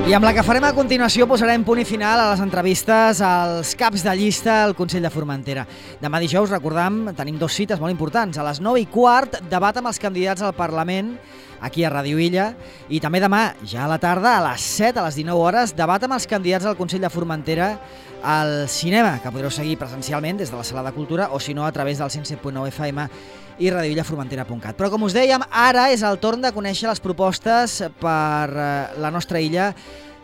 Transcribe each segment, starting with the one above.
I amb la que farem a continuació posarem punt i final a les entrevistes als caps de llista al Consell de Formentera. Demà dijous, recordam, tenim dues cites molt importants. A les 9:15, debat amb els candidats al Parlament, aquí a Ràdio Illa, i també demà, ja a la tarda, a les 7, a les 19 hores, debat amb els candidats al Consell de Formentera al cinema, que podreu seguir presencialment des de la Sala de Cultura o, si no, a través del 107.9 FM i radioillaformentera.cat. Però, com us dèiem, ara és el torn de conèixer les propostes per la nostra illa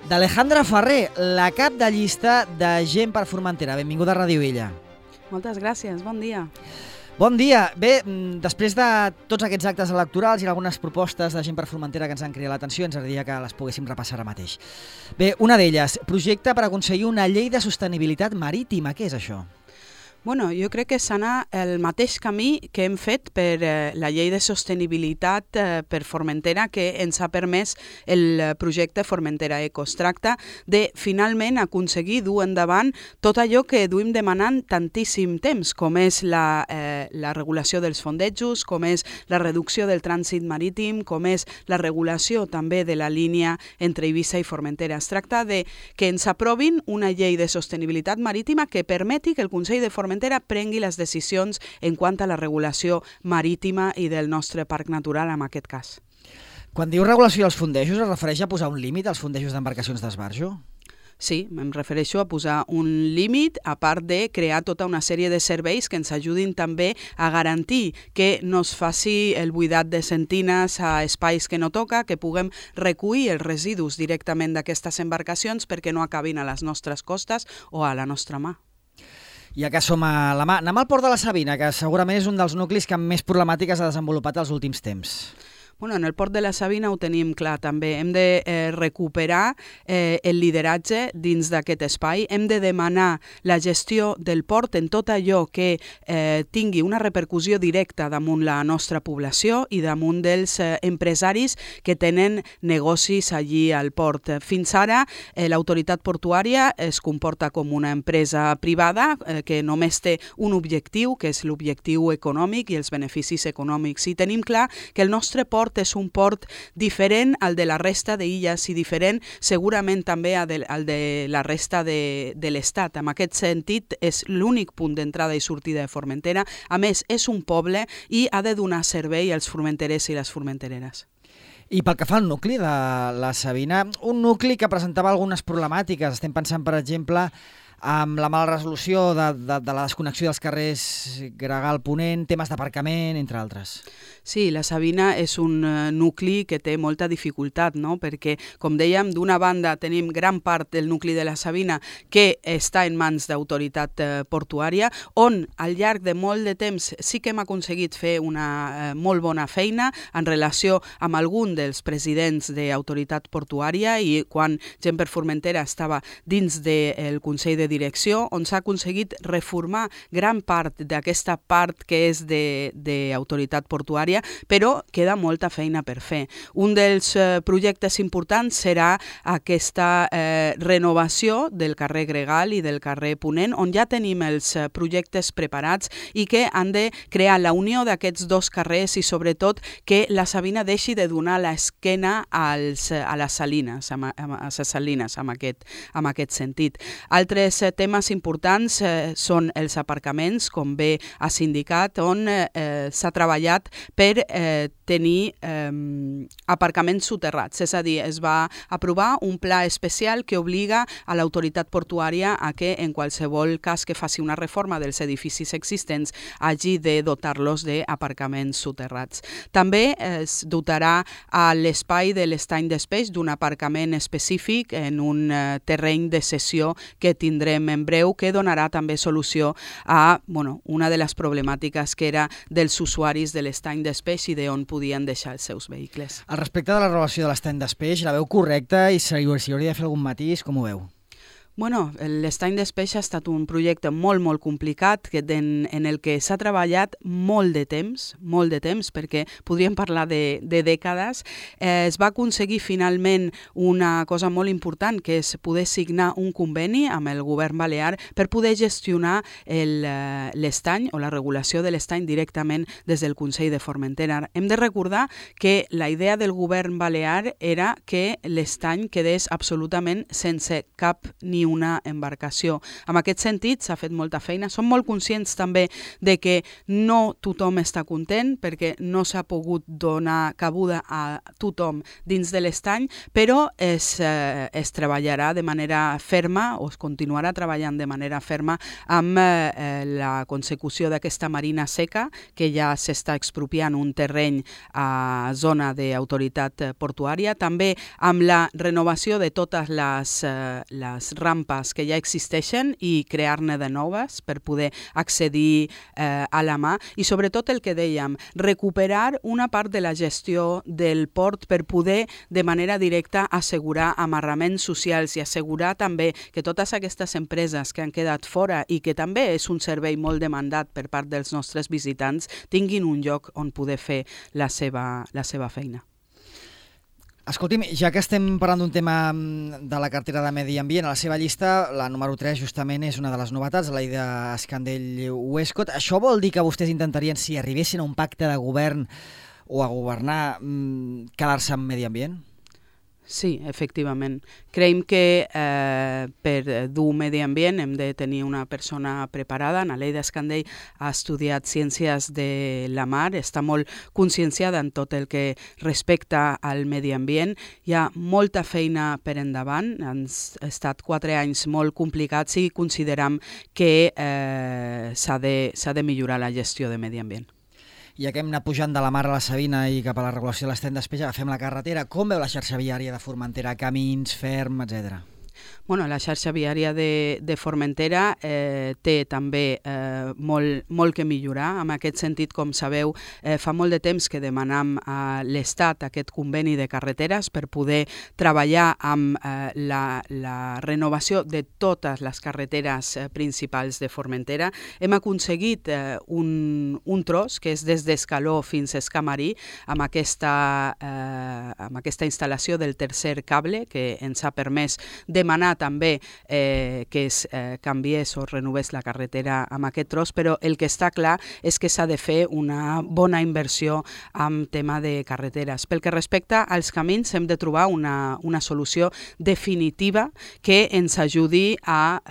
d'Alejandra Ferrer, la cap de llista de Gent per Formentera. Benvinguda a Ràdio Illa. Moltes gràcies, bon dia. Bon dia. Bé, després de tots aquests actes electorals i algunes propostes de Gent per Formentera que ens han cridat l'atenció, ens agradaria que les poguéssim repassar ara mateix. Bé, una d'elles, projecte per aconseguir una llei de sostenibilitat marítima. Què és això? Bueno, jo crec que s'anà el mateix camí que hem fet per la llei de sostenibilitat per Formentera, que ens ha permès el projecte Formentera Eco. Es tracta de finalment aconseguir dur endavant tot allò que duim demanant tantíssim temps, com és la regulació dels fondejos, com és la reducció del trànsit marítim, com és la regulació també de la línia entre Eivissa i Formentera. Es tracta de que ens aprovin una llei de sostenibilitat marítima que permeti que el Consell de Formentera prengui les decisions en quant a la regulació marítima i del nostre parc natural, en aquest cas. Quan diu regulació dels fondejos, es refereix a posar un límit als fondejos d'embarcacions d'esbarjo? Sí, em refereixo a posar un límit, a part de crear tota una sèrie de serveis que ens ajudin també a garantir que no es faci el buidat de sentines a espais que no toca, que puguem recollir els residus directament d'aquestes embarcacions perquè no acabin a les nostres costes o a la nostra mà. Ja que som a la mà, anem al Port de la Sabina, que segurament és un dels nuclis que més problemàtiques ha desenvolupat els últims temps. Bueno, en el Port de la Sabina ho tenim clar també. Hem de recuperar el lideratge dins d'aquest espai. Hem de demanar la gestió del port en tot allò que tingui una repercussió directa damunt la nostra població i damunt dels empresaris que tenen negocis allí al port. Fins ara, l'autoritat portuària es comporta com una empresa privada que només té un objectiu, que és l'objectiu econòmic i els beneficis econòmics. I tenim clar que el nostre port és un port diferent al de la resta d'illes i diferent segurament també al de la resta de l'Estat. En aquest sentit, és l'únic punt d'entrada i sortida de Formentera. A més, és un poble i ha de donar servei als formenterers i les formentereres. I pel que fa al nucli de la Sabina, un nucli que presentava algunes problemàtiques. Estem pensant, per exemple, amb la mala resolució de la desconnexió dels carrers Gregal-Ponent, temes d'aparcament, entre altres. Sí, la Sabina és un nucli que té molta dificultat, no? Perquè, com dèiem, d'una banda tenim gran part del nucli de la Sabina que està en mans d'autoritat portuària, on al llarg de molt de temps sí que hem aconseguit fer una molt bona feina en relació amb algun dels presidents d'autoritat portuària i quan Gent per Formentera estava dins del Consell de Direcció, on s'ha aconseguit reformar gran part d'aquesta part que és d'autoritat portuària, però queda molta feina per fer. Un dels projectes importants serà aquesta renovació del carrer Gregal i del carrer Ponent, on ja tenim els projectes preparats i que han de crear la unió d'aquests dos carrers i sobretot que la Sabina deixi de donar l'esquena a les salines, en aquest sentit. Altres temes importants són els aparcaments, com bé ha sindicat, on s'ha treballat per tenir aparcaments soterrats. És a dir, es va aprovar un pla especial que obliga a l'autoritat portuària a que en qualsevol cas que faci una reforma dels edificis existents hagi de dotar-los d'aparcaments soterrats. També es dotarà a l'espai de l'estany d'Espeix d'un aparcament específic en un terreny de cessió que tindrem en breu, que donarà també solució a una de les problemàtiques que era dels usuaris de l'estany d'Espeix i d'on podien deixar els seus vehicles. Al respecte de la renovació de l'estany d'Espeix, la veu correcta i s'hi hauria de fer algun matís, com ho veu? Bueno, l'Estany d'Espeix ha estat un projecte molt complicat en el que s'ha treballat molt de temps, perquè podríem parlar de dècades. Es va aconseguir finalment una cosa molt important, que és poder signar un conveni amb el govern balear per poder gestionar l'estany o la regulació de l'estany directament des del Consell de Formentera. Hem de recordar que la idea del govern balear era que l'estany quedés absolutament sense cap ni una embarcació. En aquest sentit s'ha fet molta feina. Som molt conscients també de que no tothom està content perquè no s'ha pogut donar cabuda a tothom dins de l'estany, però es treballarà de manera ferma o es continuarà treballant de manera ferma amb la consecució d'aquesta marina seca, que ja s'està expropiant un terreny a zona d'autoritat portuària, també amb la renovació de totes les rampes que ja existeixen i crear-ne de noves per poder accedir a la mà i sobretot el que dèiem, recuperar una part de la gestió del port per poder de manera directa assegurar amarraments socials i assegurar també que totes aquestes empreses que han quedat fora i que també és un servei molt demandat per part dels nostres visitants tinguin un lloc on poder fer la seva feina. Escolti'm, ja que estem parlant d'un tema de la cartera de Medi Ambient, a la seva llista, la número 3 justament és una de les novetats, la de Escandell-Westcott. Això vol dir que vostès intentarien, si arribessin a un pacte de govern o a governar, quedar-se amb Medi Ambient? Sí, efectivament. Creiem que per dur medi ambient hem de tenir una persona preparada. Naleida Escandell ha estudiat Ciències de la Mar, està molt conscienciada en tot el que respecta al medi ambient. Hi ha molta feina per endavant, han estat 4 anys molt complicats i considerem que s'ha de millorar la gestió de medi ambient. Ja que hem anat pujant de la Mar a la Sabina i cap a la regulació de l'Estany d'Espeix, agafem la carretera. Com veu la xarxa viària de Formentera? Camins, ferm, etc. Bueno, la xarxa viària de Formentera té també molt que millorar. En aquest sentit, com sabeu, fa molt de temps que demanam a l'Estat aquest conveni de carreteres per poder treballar amb la renovació de totes les carreteres principals de Formentera. Hem aconseguit un tros, que és des d'Escaló fins a Escamarí, amb aquesta instal·lació del tercer cable, que ens ha permès demanar també que es canviés o renovés la carretera amb aquest tros, però el que està clar és que s'ha de fer una bona inversió en tema de carreteres. Pel que respecta als camins, hem de trobar una solució definitiva que ens ajudi a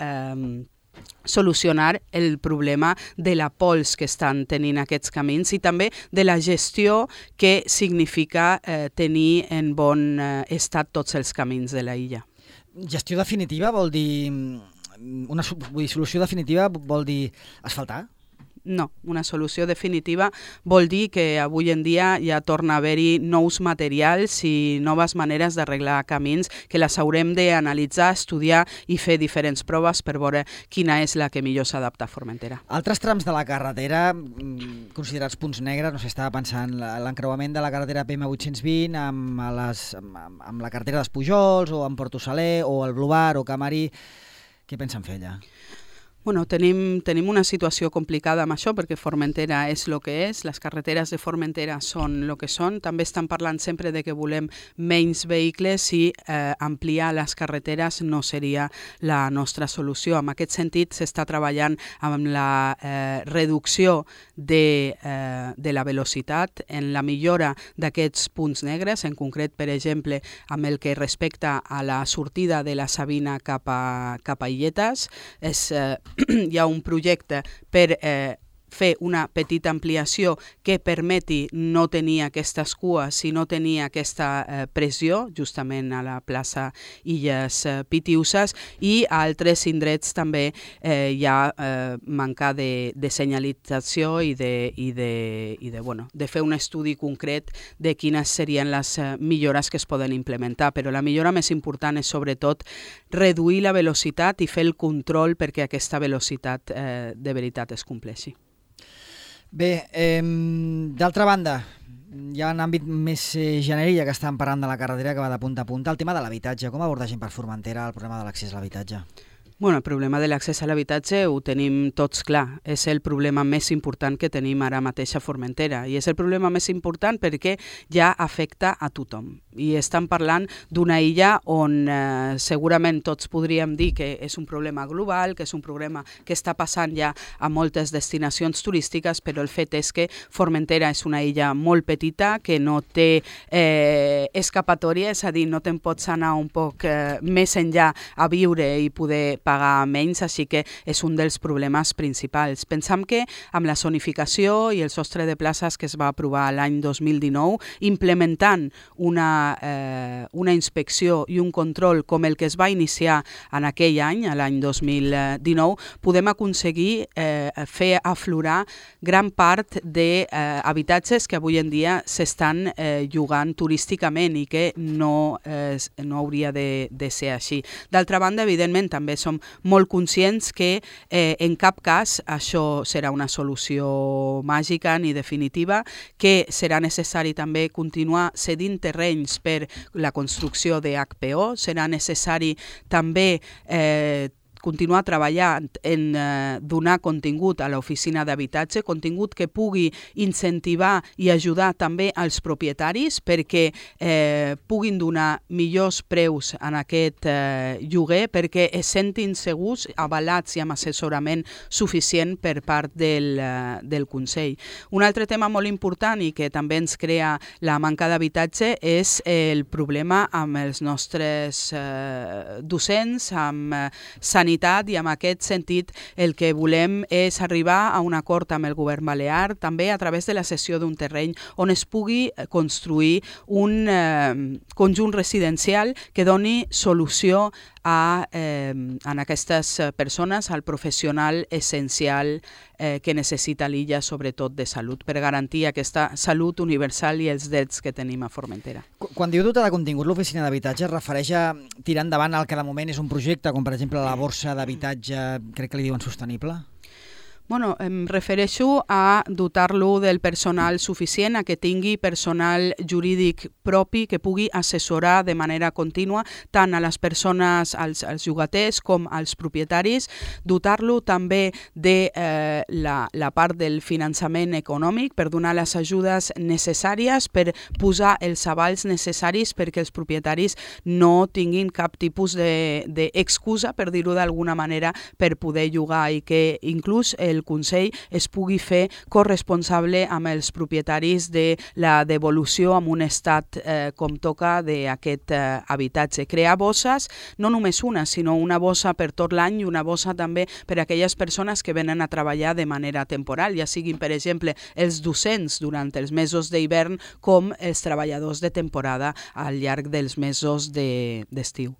solucionar el problema de la pols que estan tenint aquests camins i també de la gestió que significa tenir en bon estat tots els camins de la illa. Gestió definitiva vol dir... solució definitiva vol dir asfaltar? No, una solució definitiva vol dir que avui en dia ja torna a haver-hi nous materials i noves maneres d'arreglar camins que les haurem d'analitzar, estudiar i fer diferents proves per veure quina és la que millor s'adapta a Formentera. Altres trams de la carretera considerats punts negres, no sé, estava pensant l'encreuament de la carretera PM820 amb la carretera d'Espujols o amb Porto Saler o el Blobar o Camarí. Què pensen fer allà? Bueno, tenim una situació complicada amb això perquè Formentera és el que és, les carreteres de Formentera són el que són. També estan parlant sempre de que volem menys vehicles i ampliar les carreteres no seria la nostra solució. En aquest sentit s'està treballant amb la reducció de la velocitat, en la millora d'aquests punts negres, en concret, per exemple, amb el que respecta a la sortida de la Sabina cap a Illetes. Hi ha un projecte per fer una petita ampliació que permeti no tenir aquestes cues i no tenir aquesta pressió, justament a la plaça Illes Pitiuses, i a altres indrets també hi ha manca de senyalització i de fer un estudi concret de quines serien les millores que es poden implementar. Però la millora més important és sobretot reduir la velocitat i fer el control perquè aquesta velocitat de veritat es compleixi. Bé, d'altra banda, ja en àmbit més genèric, ja que estàvem parlant de la carretera que va de punta a punta, el tema de l'habitatge. Com abordagin per Formentera el problema de l'accés a l'habitatge? Bueno, el problema de l'accés a l'habitatge ho tenim tots clar. És el problema més important que tenim ara mateix a Formentera. I és el problema més important perquè ja afecta a tothom. I estem parlant d'una illa on segurament tots podríem dir que és un problema global, que és un problema que està passant ja a moltes destinacions turístiques, però el fet és que Formentera és una illa molt petita, que no té escapatòria, és a dir, no te'n pots anar un poc més enllà a viure i poder pagar menys, així que és un dels problemes principals. Pensam que amb la zonificació i el sostre de places que es va aprovar l'any 2019, implementant una inspecció i un control com el que es va iniciar en aquell any, l'any 2019, podem aconseguir fer aflorar gran part d'habitatges que avui en dia s'estan llogant turísticament i que no hauria de ser així. D'altra banda, evidentment, també som molt conscients que en cap cas això serà una solució màgica ni definitiva, que serà necessari també continuar cedint terrenys per la construcció de HPO, serà necessari també continuar treballant en donar contingut a l'oficina d'habitatge, contingut que pugui incentivar i ajudar també als propietaris perquè puguin donar millors preus en aquest lloguer, perquè es sentin segurs, avalats i amb assessorament suficient per part del Consell. Un altre tema molt important i que també ens crea la manca d'habitatge és el problema amb els nostres docents, amb sanitat, i en aquest sentit el que volem és arribar a un acord amb el govern balear, també a través de la cessió d'un terreny on es pugui construir un conjunt residencial que doni solució en aquestes persones, al professional essencial que necessita l'illa, sobretot de salut, per garantir aquesta salut universal i els drets que tenim a Formentera. Quan diu dotar de contingut l'oficina d'habitatge, es refereix a tirar endavant el que de moment és un projecte, com per exemple la borsa d'habitatge, crec que li diuen sostenible? Bueno, em refereixo a dotar-lo del personal suficient, a que tingui personal jurídic propi que pugui assessorar de manera contínua tant a les persones, als llogaters com als propietaris, dotar-lo també de la part del finançament econòmic per donar les ajudes necessàries, per posar els avals necessaris perquè els propietaris no tinguin cap tipus d'excusa, per dir-ho d'alguna manera, per poder llogar, i que inclús el Consell es pugui fer corresponsable amb els propietaris de la devolució en un estat com toca d'aquest habitatge. Crear bosses, no només una, sinó una bossa per tot l'any i una bossa també per a aquelles persones que venen a treballar de manera temporal, ja siguin, per exemple, els docents durant els mesos d'hivern com els treballadors de temporada al llarg dels mesos d'estiu.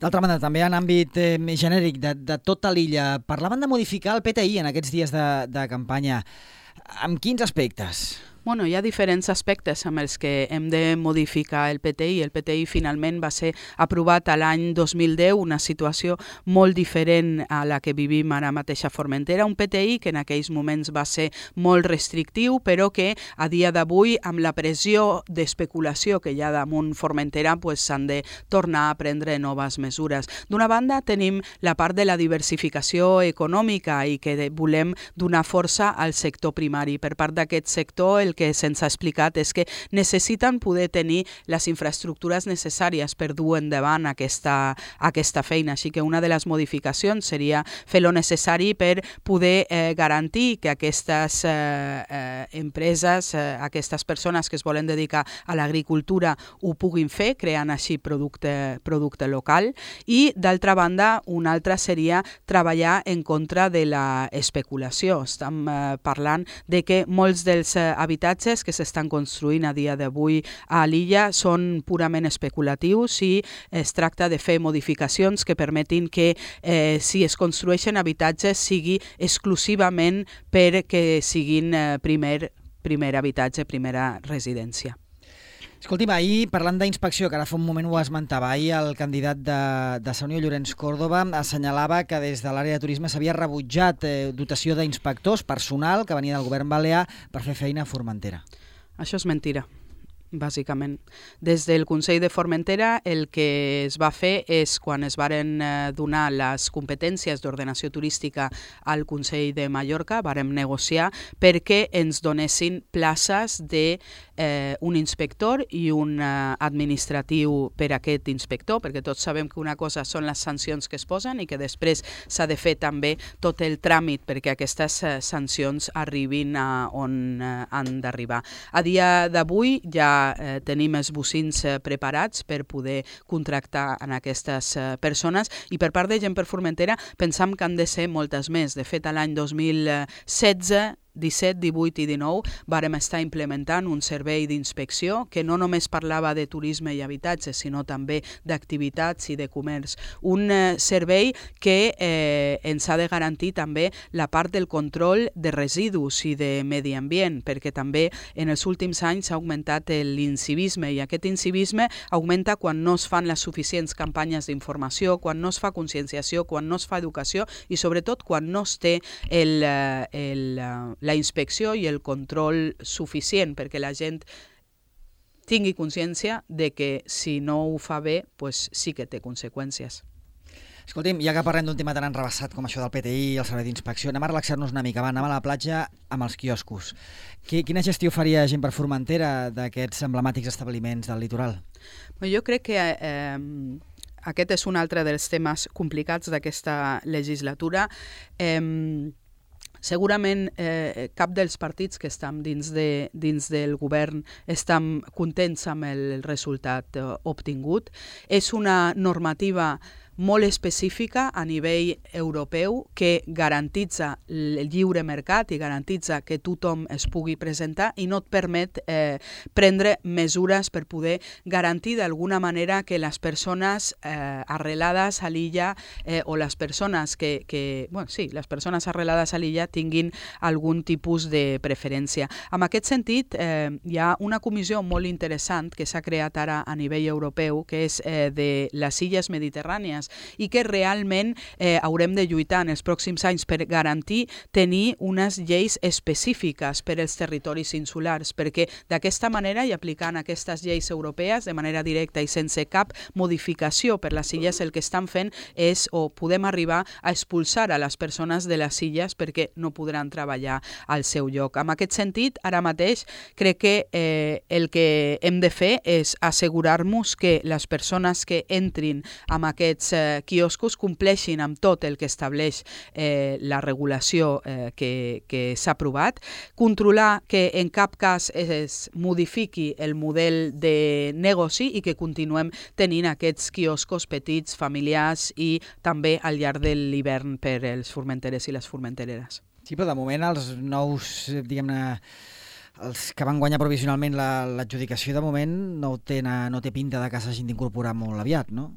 D'altra banda, també en àmbit genèric de tota l'illa, parlaven de modificar el PTI en aquests dies de campanya. Amb quins aspectes? Bueno, hi ha diferents aspectes amb els que hem de modificar el PTI. El PTI finalment va ser aprovat a l'any 2010, una situació molt diferent a la que vivim ara mateix a Formentera. Un PTI que en aquells moments va ser molt restrictiu, però que a dia d'avui, amb la pressió d'especulació que hi ha damunt Formentera, s'han de tornar a prendre noves mesures. D'una banda, tenim la part de la diversificació econòmica i que volem donar força al sector primari. Per part d'aquest sector, el que se'ns ha explicat és que necessiten poder tenir les infraestructures necessàries per dur endavant aquesta feina. Així que una de les modificacions seria fer lo necessari per poder garantir que aquestes empreses, aquestes persones que es volen dedicar a l'agricultura ho puguin fer, creant així producte local. I, d'altra banda, una altra seria treballar en contra de l'especulació. Estem parlant de que molts dels habitatges que s'estan construint a dia d'avui a l'illa són purament especulatius i es tracta de fer modificacions que permetin que si es construeixen habitatges sigui exclusivament perquè siguin primer habitatge, primera residència. Escolti'm, ahir, parlant d'inspecció, que ara fa un moment ho esmentava, ahir el candidat de Sa Unió, Llorenç Córdoba, assenyalava que des de l'àrea de turisme s'havia rebutjat dotació d'inspectors, personal que venia del govern balear per fer feina a Formentera. Això és mentira. bàsicament. Des del Consell de Formentera el que es va fer és, quan es varen donar les competències d'ordenació turística al Consell de Mallorca, vàrem negociar perquè ens donessin places de un inspector i un administratiu per a aquest inspector, perquè tots sabem que una cosa són les sancions que es posen i que després s'ha de fer també tot el tràmit perquè aquestes sancions arribin a on han d'arribar. A dia d'avui ja tenim els bocins preparats per poder contractar en aquestes persones i per part de Gent per Formentera pensam que han de ser moltes més. De fet, a l'any 2016, 17, 18 i 19 vàrem estar implementant un servei d'inspecció que no només parlava de turisme i habitatge, sinó també d'activitats i de comerç. Un servei que ens ha de garantir també la part del control de residus i de medi ambient, perquè també en els últims anys ha augmentat l'incivisme i aquest incivisme augmenta quan no es fan les suficients campanyes d'informació, quan no es fa conscienciació, quan no es fa educació i sobretot quan no es té la inspecció i el control suficient perquè la gent tingui consciència de que si no ho fa bé, pues sí que té conseqüències. Escolti'm, ja que parlem d'un tema tan enrebaçat com això del PTI i el servei d'inspecció, anem a relaxar-nos una mica, anem a la platja amb els quioscos. Quina gestió faria Gent per Formentera d'aquests emblemàtics establiments del litoral? Jo crec que aquest és un altre dels temes complicats d'aquesta legislatura. Segurament cap dels partits que estem dins del govern estem contents amb el resultat obtingut. És una normativa molt específica a nivell europeu que garantitza el lliure mercat i garantitza que tothom es pugui presentar i no et permet prendre mesures per poder garantir d'alguna manera que les persones arrelades a l'illa o les persones les persones arrelades a l'illa tinguin algun tipus de preferència. En aquest sentit, hi ha una comissió molt interessant que s'ha creat ara a nivell europeu, que és de les illes mediterrànies i que realment haurem de lluitar en els pròxims anys per garantir tenir unes lleis específiques per als territoris insulars, perquè d'aquesta manera i aplicant aquestes lleis europees de manera directa i sense cap modificació per les illes, el que estan fent és o podem arribar a expulsar a les persones de les illes perquè no podran treballar al seu lloc. En aquest sentit, ara mateix crec que el que hem de fer és assegurar-nos que les persones que entrin en aquests quioscos compleixin amb tot el que estableix la regulació que s'ha aprovat, controlar que en cap cas es modifiqui el model de negoci i que continuem tenint aquests quioscos petits, familiars i també al llarg de l'hivern per als formenterers i les formentereres. Sí, però de moment els nous, diguem-ne, els que van guanyar provisionalment l'adjudicació, de moment no té pinta de que s'hagin d'incorporar molt aviat, no?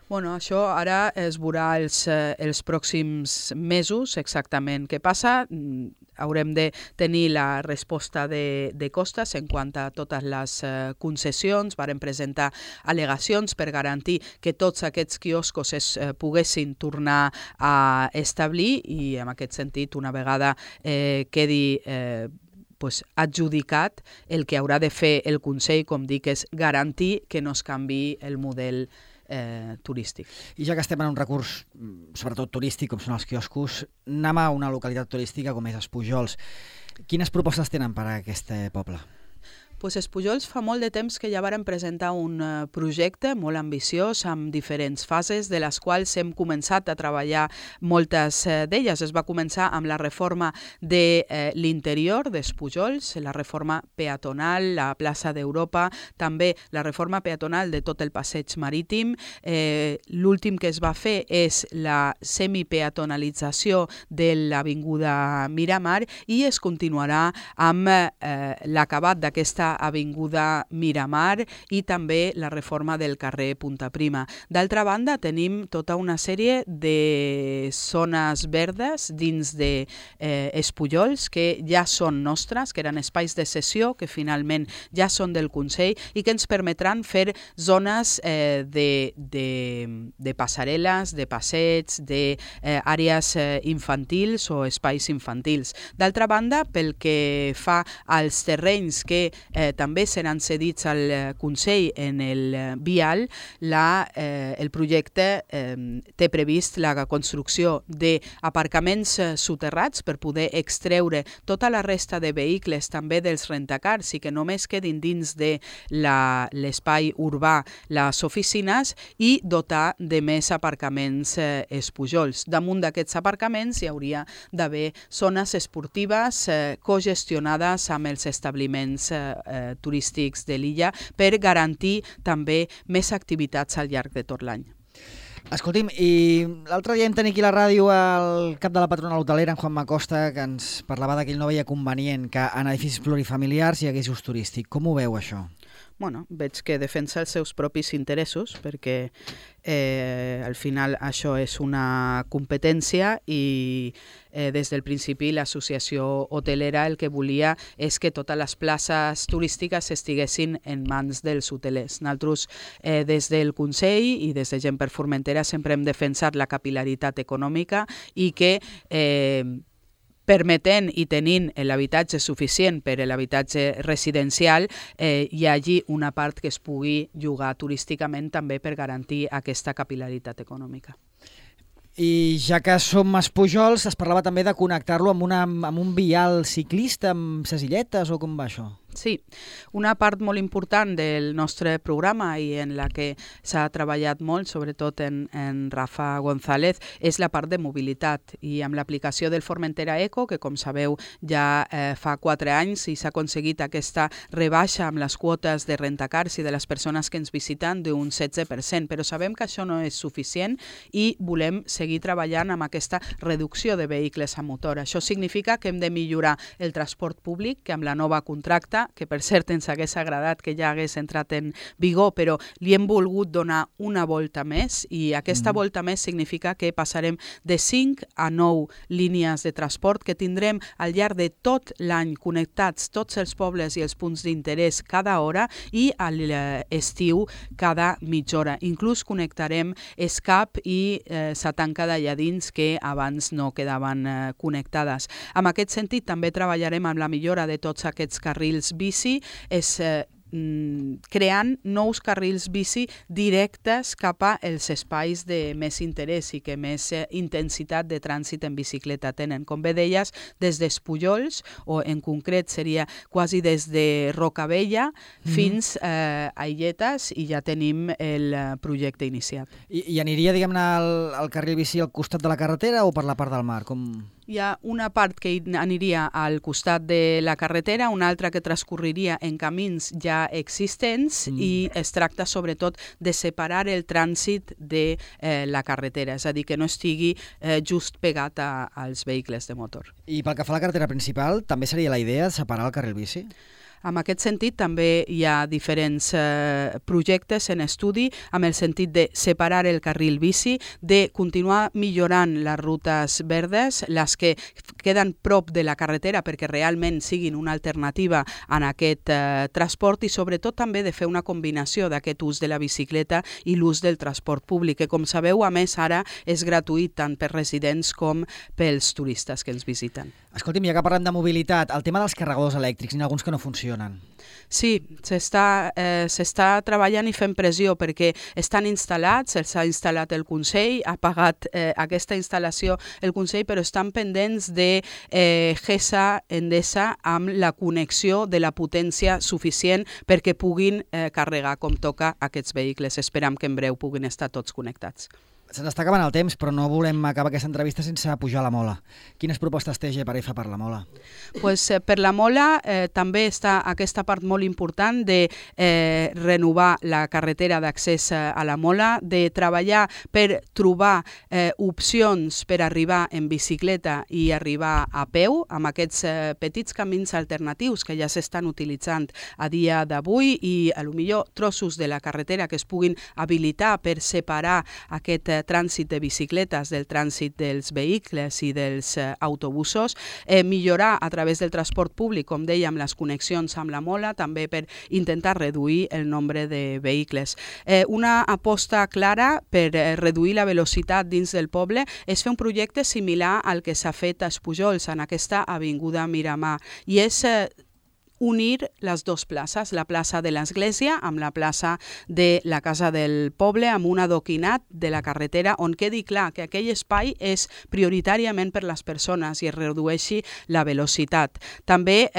Bueno, això ara es veurà els pròxims mesos exactament què passa. Haurem de tenir la resposta de Costas en quant a totes les concessions. Varen presentar al·legacions per garantir que tots aquests quioscos es poguessin tornar a establir i en aquest sentit, una vegada quedi adjudicat, el que haurà de fer el Consell, com dic, és garantir que no es canviï el model turístic. I ja que estem en un recurs, sobretot turístic, com són els quioscos, anem a una localitat turística com és Espujols. Quines propostes tenen per a aquest poble? Espujols fa molt de temps que ja varen presentar un projecte molt ambiciós amb diferents fases, de les quals hem començat a treballar moltes d'elles. Es va començar amb la reforma de l'interior d'Espujols, la reforma peatonal, la plaça d'Europa, també la reforma peatonal de tot el passeig marítim. L'últim que es va fer és la semipeatonalització de l'avinguda Miramar i es continuarà amb l'acabat d'aquesta avinguda Miramar i també la reforma del carrer Punta Prima. D'altra banda, tenim tota una sèrie de zones verdes dins d'Espullols que ja són nostres, que eren espais de cessió, que finalment ja són del Consell i que ens permetran fer zones de passarel·les, de passeigs, d'àrees infantils o espais infantils. D'altra banda, pel que fa als terrenys que també seran cedits al Consell en el vial. El projecte té previst la construcció d'aparcaments soterrats per poder extreure tota la resta de vehicles, també dels rentacars, i que només quedin dins de l'espai urbà les oficines, i dotar de més aparcaments espujols. Damunt d'aquests aparcaments hi hauria d'haver zones esportives cogestionades amb els establiments turístics de l'illa per garantir també més activitats al llarg de tot l'any. Escolti'm, i l'altre dia vam tenir aquí a la ràdio el cap de la patronal hotelera, en Juan Macosta, que ens parlava que ell no veia convenient que en edificis plurifamiliars hi hagués ús turístic. Com ho veu, això? Bueno, veig que defensa els seus propis interessos, perquè al final això és una competència i des del principi l'associació hotelera el que volia és que totes les places turístiques estiguessin en mans dels hotelers. Nosaltres des del Consell i des de Gent per Formentera sempre hem defensat la capil·laritat econòmica i que permetent i tenint l'habitatge suficient per a l'habitatge residencial, hi hagi una part que es pugui llogar turísticament també per garantir aquesta capil·laritat econòmica. I ja que som espujols, es parlava també de connectar-lo amb un vial ciclista, amb ses illetes, o com va això? Sí, una part molt important del nostre programa i en la que s'ha treballat molt, sobretot en Rafa González, és la part de mobilitat. I amb l'aplicació del Formentera Eco, que com sabeu ja fa 4 anys i s'ha aconseguit aquesta rebaixa amb les quotes de rentacars i de les persones que ens visiten d'un 16%, però sabem que això no és suficient i volem seguir treballant amb aquesta reducció de vehicles a motor. Això significa que hem de millorar el transport públic, que amb la nova contracta, que per cert ens hagués agradat que ja hagués entrat en vigor, però li hem volgut donar una volta més, i aquesta volta més significa que passarem de 5 a 9 línies de transport que tindrem al llarg de tot l'any connectats tots els pobles i els punts d'interès cada hora, i a l'estiu cada mitja hora. Inclús connectarem Escap i Satanca d'allà dins, que abans no quedaven connectades. En aquest sentit també treballarem amb la millora de tots aquests carrils bici, creant nous carrils bici directes cap als espais de més interès i que més intensitat de trànsit en bicicleta tenen. Com bé deies, des d'Espullols, o en concret seria quasi des de Rocavella fins a Illetes, i ja tenim el projecte iniciat. I aniria, diguem-ne, el carril bici al costat de la carretera o per la part del mar? Hi ha una part que aniria al costat de la carretera, una altra que transcorreria en camins ja existents, i es tracta sobretot de separar el trànsit de la carretera, és a dir, que no estigui just pegat als vehicles de motor. I pel que fa a la carretera principal, també seria la idea de separar el carril bici? En aquest sentit, també hi ha diferents projectes en estudi amb el sentit de separar el carril bici, de continuar millorant les rutes verdes, les que queden prop de la carretera perquè realment siguin una alternativa en aquest transport, i sobretot també de fer una combinació d'aquest ús de la bicicleta i l'ús del transport públic, que com sabeu, a més, ara és gratuït tant per residents com pels turistes que ens visiten. Escolti'm, ja que parlem de mobilitat, el tema dels carregadors elèctrics, n'hi ha alguns que no funcionen. Sí, s'està treballant i fent pressió perquè estan instal·lats, els ha instal·lat el Consell, ha pagat aquesta instal·lació el Consell, però estan pendents de GESA, Endesa, amb la connexió de la potència suficient perquè puguin carregar com toca aquests vehicles. Esperam que en breu puguin estar tots connectats. Se'ns està acabant el temps, però no volem acabar aquesta entrevista sense pujar la Mola. Quines propostes té GPRF per la Mola? Pues, per la Mola també està aquesta part molt important de renovar la carretera d'accés a la Mola, de treballar per trobar opcions per arribar en bicicleta i arribar a peu, amb aquests petits camins alternatius que ja s'estan utilitzant a dia d'avui, i potser trossos de la carretera que es puguin habilitar per separar aquest trànsit de bicicletes del trànsit dels vehicles i dels autobusos, millorar a través del transport públic, com dèiem, les connexions amb la Mola, també per intentar reduir el nombre de vehicles. Una aposta clara per reduir la velocitat dins del poble és fer un projecte similar al que s'ha fet a Espullols, en aquesta avinguda Miramar, i és unir les dues places, la plaça de l'Església amb la plaça de la Casa del Poble, amb un adoquinat de la carretera on quedi clar que aquell espai és prioritàriament per les persones i es redueixi la velocitat. També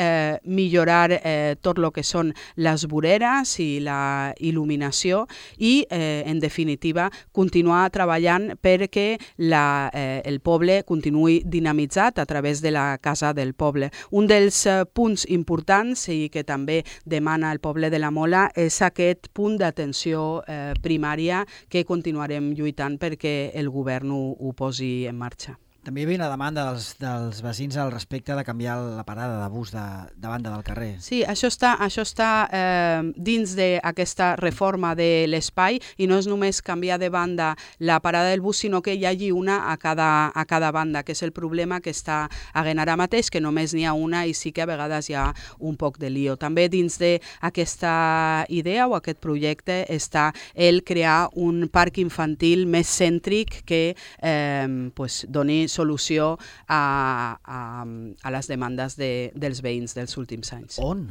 millorar tot el que són les voreres i la il·luminació i, en definitiva, continuar treballant perquè el poble continuï dinamitzat a través de la Casa del Poble. Un dels punts importants i que també demana el poble de la Mola és aquest punt d'atenció primària que continuarem lluitant perquè el govern ho posi en marxa. També hi havia una demanda dels veïns al respecte de canviar la parada de bus de banda del carrer. Sí, això està dins d'aquesta reforma de l'espai i no és només canviar de banda la parada del bus, sinó que hi hagi una a cada banda, que és el problema que està havent ara mateix, que només n'hi ha una i sí que a vegades hi ha un poc de lío. També dins d'aquesta idea o aquest projecte està el crear un parc infantil més cèntric que doni solució a les demandes dels veïns dels últims anys. On?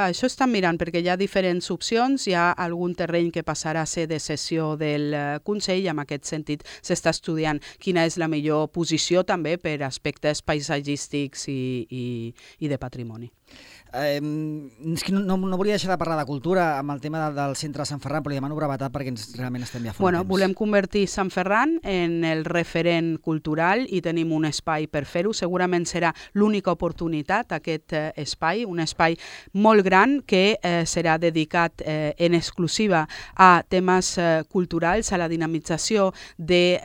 Això estan mirant perquè hi ha diferents opcions, hi ha algun terreny que passarà a ser de cessió del Consell i en aquest sentit s'està estudiant quina és la millor posició també per aspectes paisatgístics i de patrimoni. És que no volia deixar de parlar de cultura amb el tema del centre de Sant Ferran, però li demano brevetat perquè realment estem ja fora de temps. Volem convertir Sant Ferran en el referent cultural i tenim un espai per fer-ho. Segurament serà l'única oportunitat, aquest espai, un espai molt gran que serà dedicat en exclusiva a temes culturals, a la dinamització de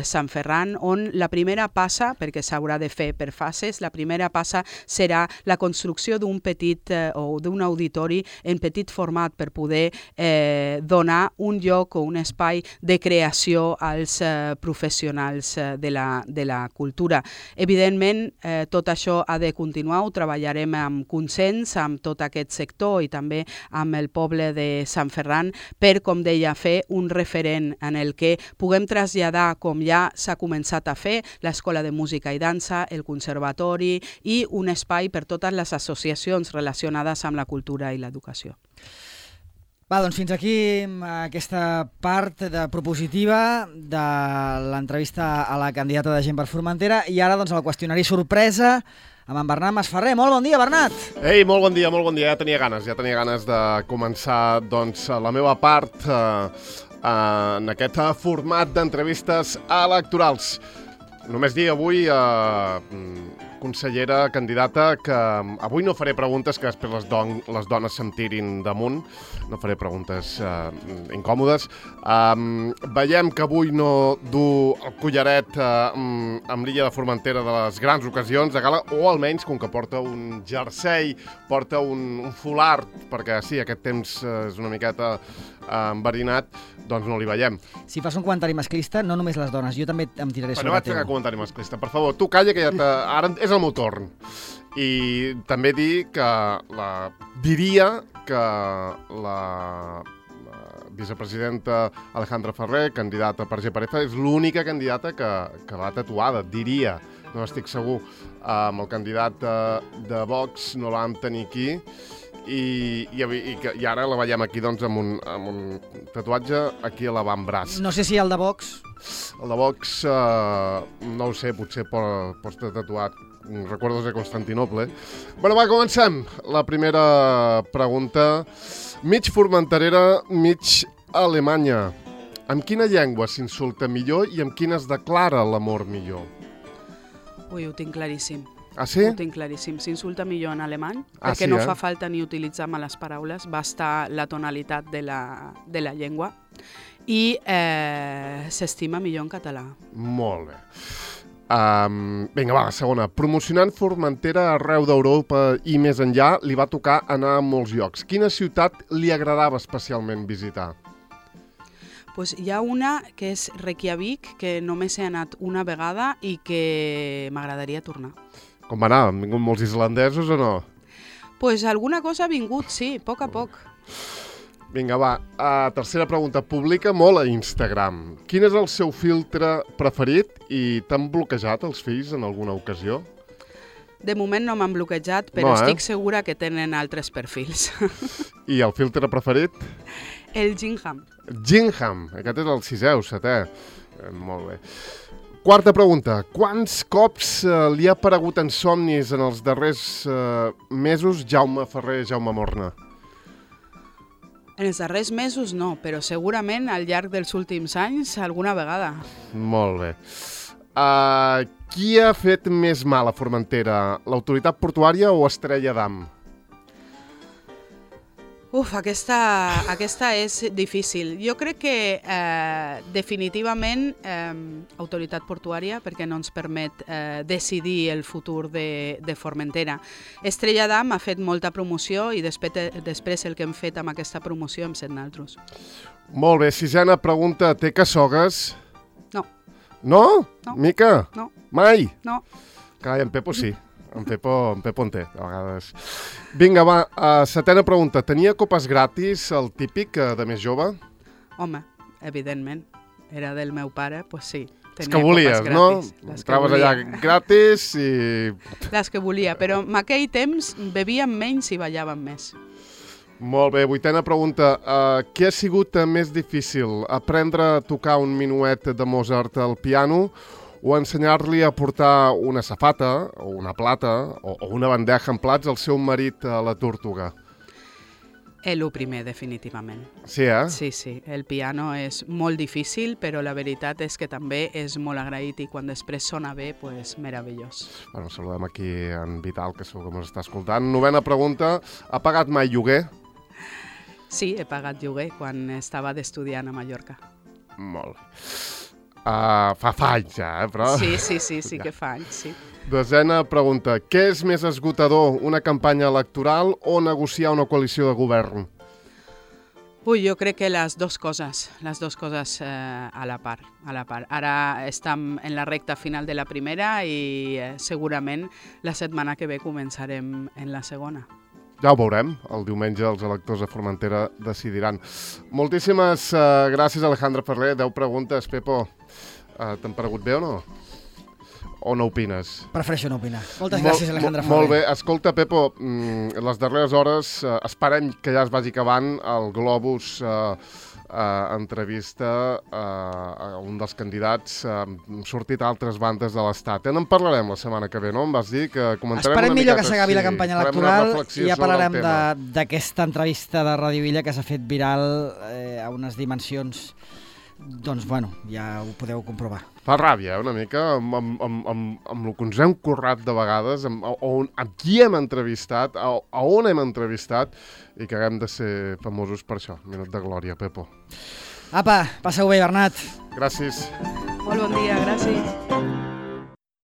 Sant Ferran, on la primera passa, perquè s'haurà de fer per fases, la primera passa serà la construcció d'un petit o d'un auditori en petit format per poder donar un lloc o un espai de creació als professionals de la cultura. Evidentment, tot això ha de continuar, ho treballarem amb consens, amb tot aquest sector i també amb el poble de Sant Ferran per, com deia, fer un referent en el que puguem traslladar, com ja s'ha començat a fer, l'Escola de Música i Dansa, el Conservatori i un espai per totes les associacions relacionades amb la cultura i l'educació. Va, doncs fins aquí aquesta part propositiva de l'entrevista a la candidata de Gent per Formentera i ara doncs el qüestionari sorpresa amb en Bernat Masferrer. Molt bon dia, Bernat! Ei, molt bon dia, ja tenia ganes de començar doncs, la meva part en aquest format d'entrevistes electorals. Només dir avui, consellera, candidata, que avui no faré preguntes que després les dones se'm tirin damunt, no faré preguntes incòmodes. Veiem que avui no du el collaret amb l'illa de Formentera de les grans ocasions de gala, o almenys, com que porta un jersei, porta un fulard, perquè sí, aquest temps és una miqueta enverinat, doncs no li veiem. Si fas un comentari masclista, no només les dones, jo també em tiraré sobre teu. No vaig fer un comentari masclista, per favor, tu calla, que ara és el meu torn. I també dir que diria que la vicepresidenta Alejandra Ferrer, candidata per GPRF, és l'única candidata que va tatuada, diria. No estic segur. Amb el candidat de Vox no l'hem tenir aquí, i ara la veiem aquí doncs, amb un tatuatge aquí a l'avantbraç. No sé si el de Vox... El de Vox, no ho sé, potser pots estar tatuat recuerdos de Constantinople. Bueno, va, comencem. La primera pregunta. Mig formenterera, mig alemanya. Amb quina llengua s'insulta millor i amb quina es declara l'amor millor? Ui, ho tinc claríssim. Ah, sí? Ho tinc claríssim. S'insulta millor en alemany, perquè no fa falta ni utilitzar males paraules, basta la tonalitat de la llengua, i s'estima millor en català. Molt bé. Vinga, va, la segona. Promocionant Formentera arreu d'Europa i més enllà, li va tocar anar a molts llocs. Quina ciutat li agradava especialment visitar? Pues hi ha una que és Reykjavik, que només he anat una vegada i que m'agradaria tornar. Com va anar? Han vingut molts islandesos o no? Pues alguna cosa ha vingut, sí, a poc. Vinga, va. Tercera pregunta. Publica molt a Instagram. Quin és el seu filtre preferit i t'han bloquejat els fills en alguna ocasió? De moment no m'han bloquejat, però estic segura que tenen altres perfils. I el filtre preferit? El Gingham. Gingham, aquest és el 6è o 7è. Molt bé. Quarta pregunta. Quants cops li ha aparegut en somnis en els darrers mesos Jaume Ferrer, Jaume Morna? En els darrers mesos no, però segurament al llarg dels últims anys alguna vegada. Molt bé. Qui ha fet més mal a Formentera? L'autoritat portuària o Estrella d'Am? Aquesta és difícil. Jo crec que definitivament autoritat portuària, perquè no ens permet decidir el futur de Formentera. Estrella d'Am ha fet molta promoció i després el que hem fet amb aquesta promoció hem set naltros. Molt bé, sisena pregunta. Té cassogues? No. No? No. Mica? No. Mai? No. Carai, en Pepo sí. En Pepo en té, a vegades. Vinga, va, setena pregunta. Tenia copes gratis, el típic, de més jove? Home, evidentment. Era del meu pare, doncs sí. Les que volies, no? Entraves allà gratis i... Les que volia, però en aquell temps bevíem menys i ballàvem més. Molt bé, vuitena pregunta. Què ha sigut més difícil? Aprendre a tocar un minuet de Mozart al piano o ensenyar-li a portar una safata o una plata o una bandeja amb plats al seu marit a la Tórtoga? El primer, definitivament. Sí, eh? Sí. El piano és molt difícil, però la veritat és que també és molt agraït i quan després sona bé, doncs meravellós. Bueno, saludem aquí en Vital, que segur que ens està escoltant. Novena pregunta. Ha pagat mai lloguer? Sí, he pagat lloguer quan estava d'estudiant a Mallorca. Molt bé. Fa anys ja, però... Sí que fa anys, sí. Desena pregunta. Què és més esgotador, una campanya electoral o negociar una coalició de govern? Jo crec que les dues coses a la part. Ara estem en la recta final de la primera i segurament la setmana que ve començarem en la segona. Ja ho veurem. El diumenge els electors de Formentera decidiran. Moltíssimes gràcies, Alejandra Ferrer. 10 preguntes, Pepo. T'han paregut bé o no? O no opines? Prefereixo no opinar. Moltes gràcies, Alejandra Ferrer. Molt bé. Escolta, Pepo, les darreres hores esperem que ja es vagi acabant el Globus entrevista a un dels candidats. Han sortit a altres bandes de l'Estat. En parlarem la setmana que ve, no? Em vas dir que comentarem Esperem una millor miqueta, que s'acabi la campanya electoral i ja parlarem d'aquesta entrevista de Radio Villa que s'ha fet viral a unes dimensions. Doncs, bueno, ja ho podeu comprovar. Fa ràbia, una mica, amb el que ens hem currat de vegades, amb qui hem entrevistat, a on hem entrevistat, i que haguem de ser famosos per això. Minut de glòria, Pepo. Apa, passeu bé, Bernat. Gràcies. Molt bon dia, gràcies.